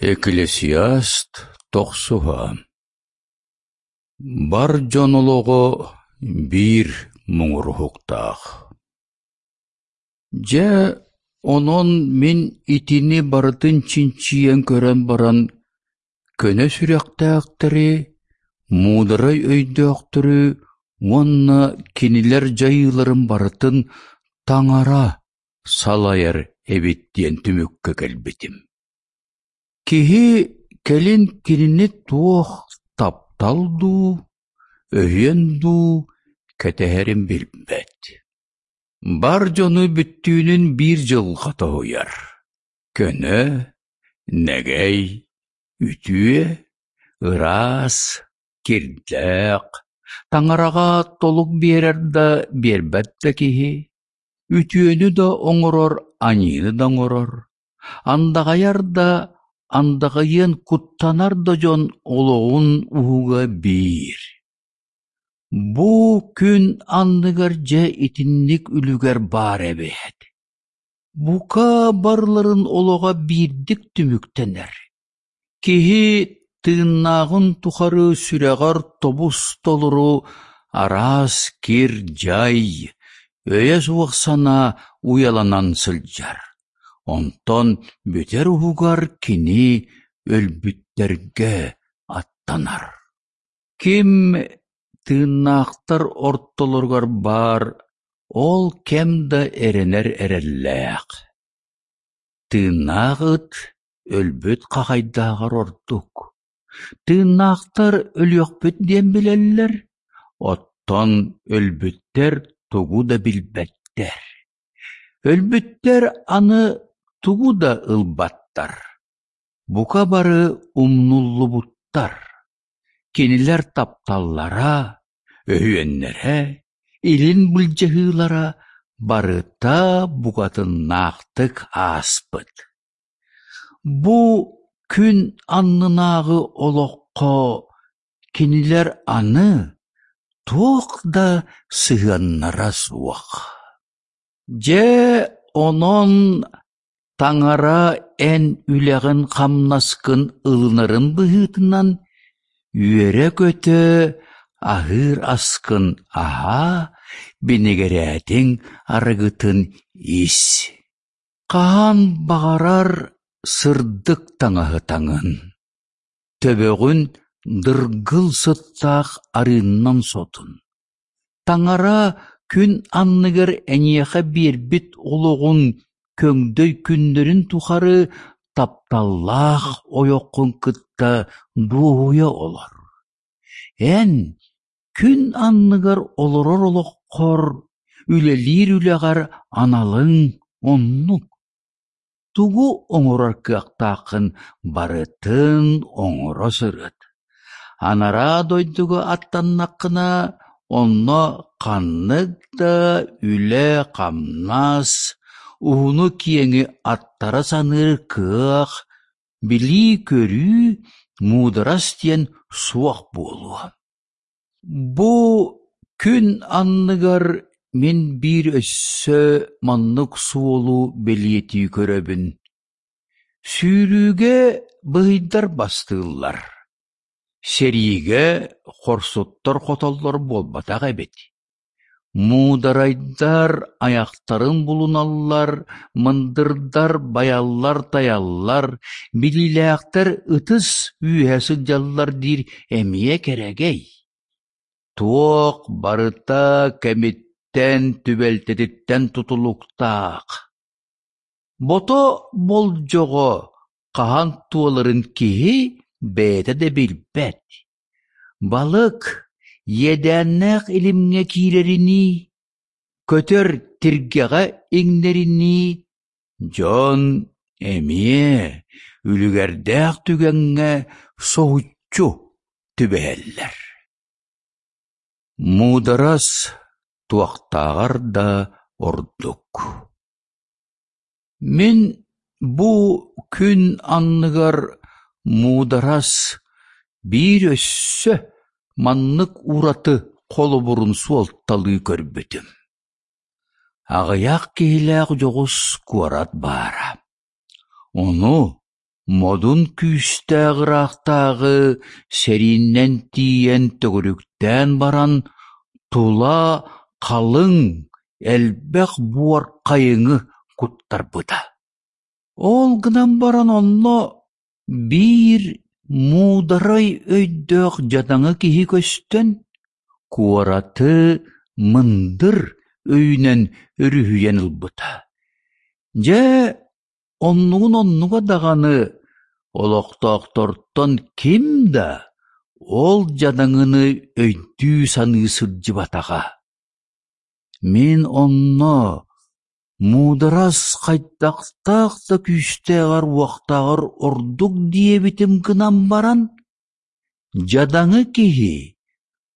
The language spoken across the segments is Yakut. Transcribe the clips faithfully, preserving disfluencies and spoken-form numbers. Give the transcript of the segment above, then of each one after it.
Экклесиаст тохсуһа Бар дьон олоҕо биир муҥур уһуктаах. Дьэ, онон мин итини барытын чинчийэн көрөн баран, көнө сүрэхтээхтэри, муударай өйдөөхтөрү уонна кинилэр дьайыыларын барытын Таҥара салайар эбит диэн түмүккэ кэлбитим. Киһи кэлин кинини туох таптал дуу, өһүөн дуу кэтэһэрин билбэт. Бар дьону бүттүүнүн биир дьылҕа тоһуйар: көнө, нэгэй, үтүө, ыраас, кирдээх, Таҥараҕа толук биэрэр да, биэрбэт да киһи, үтүөнү да оҥорор, аньыыны да оҥорор, андаҕайар да, андаҕайыан куттанар да дьон олоҕун уһуга биир. Бу күн анныгар дьэ итинник үлүгэр баар эбээт. Бука барыларын олоҕо биирдик түмүктэнэр. Киһи тыыннааҕын тухары сүрэҕэр тобус-толору араас кир-дьай, өйө суох санаа уйаланан сылдьар, онтон бүтэр уһугар кини өлбүттэргэ аттанар. Ким тыыннаахтар ортолоругар баар, ол кэм да эрэнэр эрэллээх. Тыыннаах ыт өлбүт хахайдааҕар ордук. Тыыннаахтар өлүөхпүт диэн билэллэр, оттон өлбүттэр тугу да билбэттэр. Өлбүттэр аны тугу да ылбаттар, бука бары умнуллубуттар. Кинилэр тапталлара, өһүөннэрэ, илин былдьаһыылара барыта букатыннаахтык ааспыт. Бу күн аннынааҕы олоххо кинилэр аны туох да сыһыаннара суох. Дьэ, онон Таҥара эн үлэҕин-хамнаскын ылынарын быһыытынан үөрэ-көтө аһыыр аскын аһаа, бинигирээтиҥ арыгытын ис. Хаһан баҕарар сырдык таҥаһы таҥын, төбөҕүн дыргыл сыттаах арыыннан сотун. Таҥара күн анныгар эйиэхэ биэрбит олоҕуҥ көҥдөй күннэрин тухары тапталлаах ойоххун кытта дуоһуйа олор. Эн күн анныгар олорор олоххор, үлэлиир үлэҕэр аналыҥ оннук. Тугу оҥорор кыахтааххын барытын оҥоро сырыт. Анараа дойдуга аттаннаххына, онно ханнык да үлэ-хамнас, уһуну-киэҥи аттара саныыр кыах, билии-көрүү, муударас диэн суох буолуо. Бу күн анныгар мин биир өссө маннык суолу бэлиэтии көрөбүн: сүүрүүгэ быһыйдар бастыыллар, сэриигэ хорсуттар хотоллор буолбатах эбит. Муударайдар айахтарын булуналлар, мындырдар байаллар-тайаллар, билиилээхтэр ытыс үөһэ сылдьаллар диир эмиэ кэрэгэй. Туох барыта кэмиттэн, түбэлтэтиттэн тутулуктаах. Бото болдьоҕо хаһан туоларын киһи бэйэтэ да билбэт. Балык иэдээннээх илимҥэ киирэринии, көтөр тиргэҕэ иҥнэринии, дьон эмиэ үлүгэрдээх түгэҥҥэ соһуччу түбэһэллэр. Муударас туохтааҕар да ордук. Мин бу күн анныгар муударас биир өссө маннык ураты холобурун суолталыы көрбүтүм. Аҕыйах киһилээх дьоҕус куорат баара. Ону Модун күүстээх ыраахтааҕы сэриинэн тиийэн төгүрүктээн баран, тула халыҥ, элбэх буор хайыҥы куттарбыта. Ол гынан баран онно биир муударай өйдөөх дьадаҥы киһи көстөн, куораты мындыр өйүнэн өрүһүйэн ылбыта. Дьэ, оннугун оннуга даҕаны, олохтоохтортон ким да ол дьадаҥыны өйдүү-саныы сылдьыбатаҕа. Мин онно муударас хайдахтаах да күүстээҕэр-уохтааҕар ордук диэбитим гынан баран, дьадаҥы киһи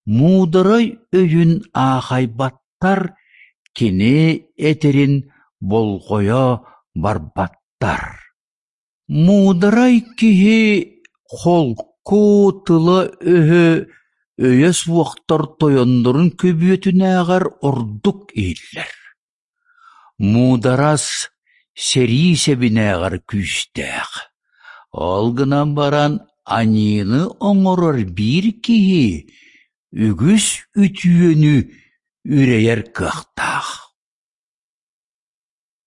муударай өйүн аахайбаттар, кини этэрин болҕойо барбаттар. Муударай киһи холку тыла-өһө өйө суохтар тойоннорун көбүөтүнээҕэр ордук иһиллэр. Муударас сэрии сэбинээҕэр күүстээх, ол гынан баран аньыыны оҥорор биир киһи үгүс үтүөнү үрэйэр кыахтаах.